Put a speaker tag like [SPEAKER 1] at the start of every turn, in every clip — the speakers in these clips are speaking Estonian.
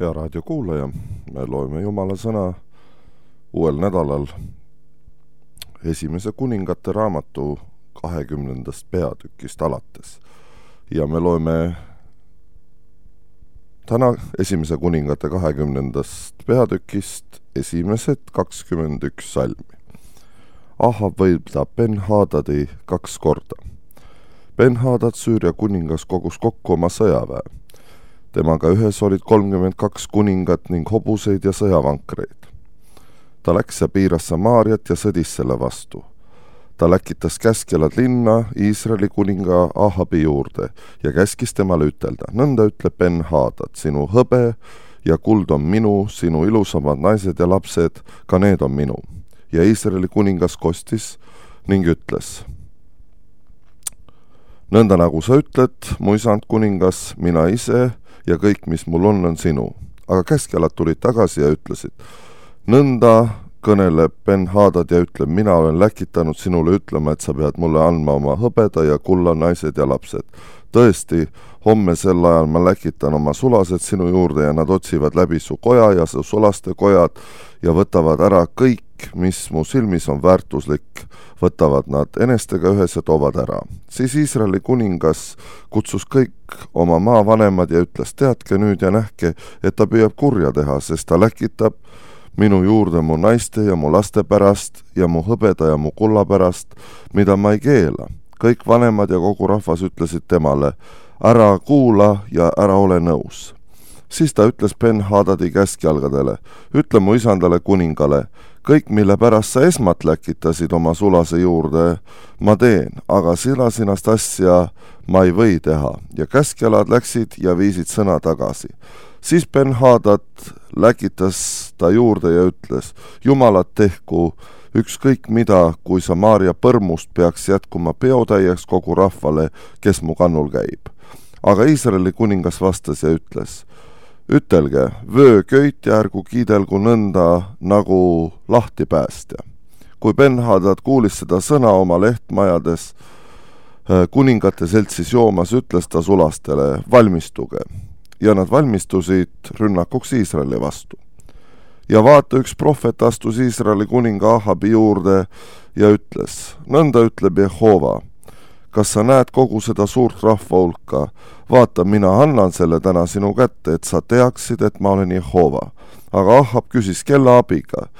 [SPEAKER 1] Hea raadiokuulaja, me loeme Jumala sõna uuel nädalal esimese kuningate raamatu 20. peatükist alates. Ja me loeme täna esimese kuningate 20. peatükist esimesed 21 salmi. Ahab võitleb Ben-Hadadi 2 korda. Ben-Hadad, Süüria kuningas, kogus kokku oma sõjaväe. Temaga ühes olid 32 kuningat ning hobuseid ja sõjavankreid. Ta läks ja piiras Samaariat ja sõdis selle vastu. Ta läkitas käskjalad linna Iisraeli kuninga Ahabi juurde ja käskis temale ütelda: nõnda ütleb Ben-Hadad, sinu hõbe ja kuld on minu, sinu ilusamad naised ja lapsed, ka need on minu. Ja Iisraeli kuningas kostis ning ütles: nõnda nagu sa ütled, mu isand kuningas, mina ise ja kõik, mis mul on sinu. Aga käskjalad tulid tagasi ja ütlesid: nõnda kõneleb Ben-Hadad ja ütleb, mina olen läkitanud sinule ütlema, et sa pead mulle andma oma hõbeda ja kulla naised ja lapsed. Tõesti, homme sel ajal ma läkitan oma sulased sinu juurde ja nad otsivad läbi su koja ja su sulaste kojad ja võtavad ära kõik, mis mu silmis on väärtuslik, võtavad nad enestega ühes ja toovad ära. Siis Iisraeli kuningas kutsus kõik oma maavanemad ja ütles: teadke nüüd ja nähke, et ta püüab kurja teha, sest ta läkitab minu juurde mu naiste ja mu laste pärast ja mu hõbeda ja mu kulla pärast, mida ma ei keela. Kõik vanemad ja kogu rahvas ütlesid temale: ära kuula ja ära ole nõus. Siis ta ütles Ben-Hadadi käskjalgadele: ütle mu isandale kuningale, kõik, mille pärast sa esmat läkitasid oma sulase juurde, ma teen, aga sinast asja ma ei või teha. Ja käskjalad läksid ja viisid sõna tagasi. Siis Ben-Hadad läkitas ta juurde ja ütles: Jumalat tehku ükskõik mida, kui Samaaria põrmust peaks jätkuma peotäieks kogu rahvale, kes mu kannul käib. Aga Iisraeli kuningas vastas ja ütles: ütelge, vöö köit ja ärgu kiidelgu nõnda nagu lahtipäästja. Kui Ben-Hadad kuulis seda sõna oma lehtmajades kuningate seltsis joomas, ütles ta sulastele: valmistuge. Ja nad valmistusid rünnakuks Iisraeli vastu. Ja vaata, üks prohvet astus Iisraeli kuninga Ahabi juurde ja ütles: nõnda ütleb Jehova, kas sa näed kogu seda suurt rahva hulka? Vaata, mina annan selle täna sinu kätte, et sa teaksid, et ma olen Jehova. Aga Ahab küsis, kelle abiga?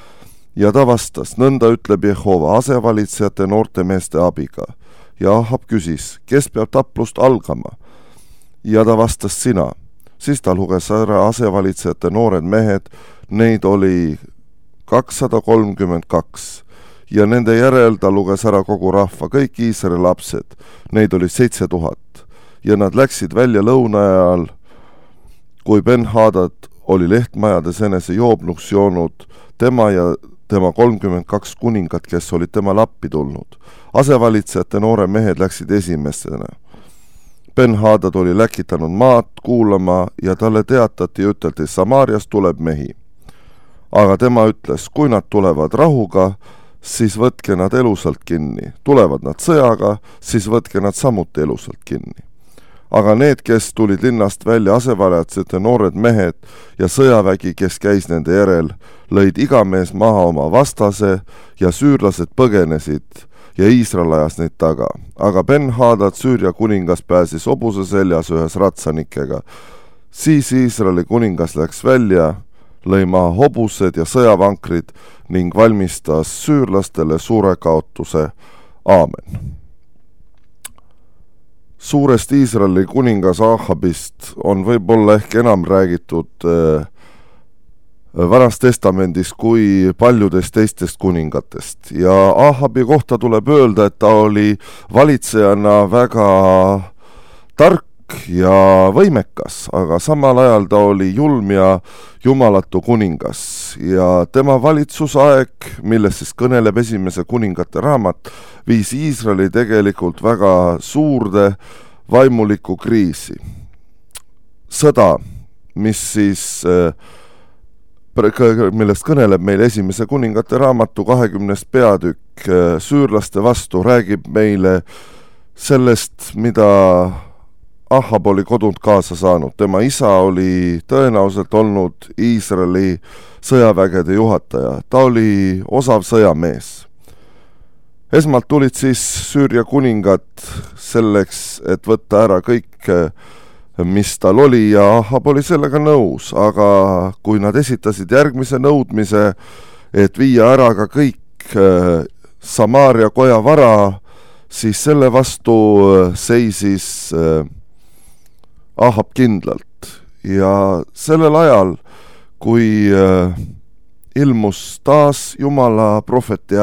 [SPEAKER 1] Ja ta vastas: nõnda ütleb Jehova, asevalitsejate noorte meeste abiga. Ja Ahab küsis, kes peab taplust algama? Ja ta vastas: sina. Siis ta luges ära asevalitsejate noored mehed, neid oli 232. Ja nende järel ta luges ära kogu rahva, kõik Iisraeli lapsed, neid oli 7000. Ja nad läksid välja lõuna ajal, kui Ben-Hadad oli lehtmajades enese joobnuks joonud, tema ja tema 32 kuningat, kes olid tema lappi tulnud. Asevalitsejate noore mehed läksid esimesena. Ben-Hadad oli läkitanud maad kuulama ja talle teatati ja üteldi: Samaarias tuleb mehi. Aga tema ütles: kui nad tulevad rahuga, siis võtke nad elusalt kinni. Tulevad nad sõjaga, siis võtke nad samuti elusalt kinni. Aga need, kes tulid linnast välja, asevalitsejate noored mehed ja sõjavägi, kes käis nende järel, lõid iga mees maha oma vastase ja süürlased põgenesid ja Iisrael ajas neid taga. Aga Ben-Hadad, Süüria kuningas, pääsis hobuse seljas ühes ratsanikega. Siis Iisraeli kuningas läks välja, lõi maha hobused ja sõjavankrid ning valmistas süürlastele suure kaotuse. Aamen. Suurest Iisraeli kuningas Ahabist on võib-olla ehk enam räägitud Vanas testamendis kui paljudest teistest kuningatest. Ja Ahabi kohta tuleb öelda, et ta oli valitsejana väga tark ja võimekas, aga samal ajal ta oli julm ja jumalatu kuningas. Ja tema valitsusaeg, millest siis kõneleb esimese kuningate raamat, viis Iisraeli tegelikult väga suurde vaimulikku kriisi. Sõda, mis siis millest kõneleb meil esimese kuningate raamatu 20. peatükk süürlaste vastu, räägib meile sellest, mida Ahab oli kodunt kaasa saanud, tema isa oli tõenäoliselt olnud Iisraeli sõjavägede juhataja, ta oli osav sõjamees. Esmalt tulid siis Süüria kuningad selleks, et võtta ära kõik, mis tal oli, ja Ahab oli sellega nõus, aga kui nad esitasid järgmise nõudmise, et viia ära ka kõik Samaaria koja vara, siis selle vastu seisis Ahab kindlalt. Ja sellel ajal, kui ilmus taas Jumala prohveti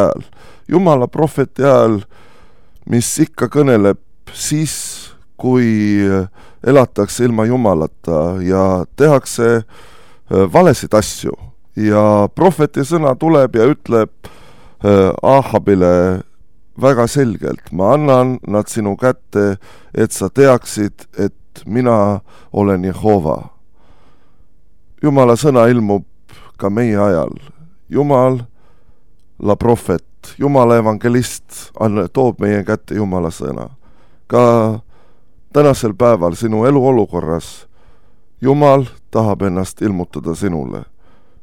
[SPEAKER 1] hääl, mis ikka kõneleb siis, kui elatakse ilma Jumalata ja tehakse valesid asju. Ja prohveti sõna tuleb ja ütleb Ahabile väga selgelt, ma annan nad sinu kätte, et sa teaksid, et mina olen Jehova. Jumala sõna ilmub ka meie ajal. Jumala prohvet, Jumala evangelist toob meie kätte Jumala sõna. Ka tänasel päeval sinu eluolukorras Jumal tahab ennast ilmutada sinule.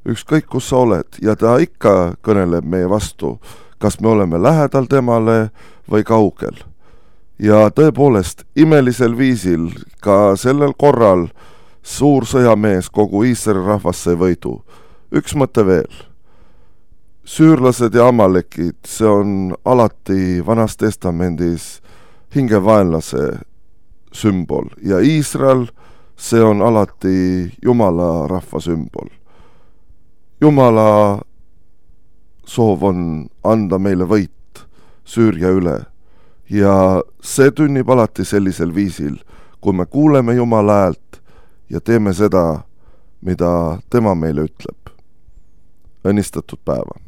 [SPEAKER 1] Ükskõik kus sa oled, ja ta ikka kõneleb meie vastu, kas me oleme lähedal temale või kaugel. Ja tõepoolest, imelisel viisil ka sellel korral suur sõjamees kogu Iisraeli rahvas sai võidu. Üks mõte veel. Süürlased ja amalekid, see on alati Vanas Testamendis hingevaenlase sümbol, ja Iisrael, see on alati Jumala rahva sümbol. Jumala soov on anda meile võit Süüria üle, ja see tünnib alati sellisel viisil, kui me kuuleme Jumala häält ja teeme seda, mida tema meile ütleb. Õnnistatud päeva!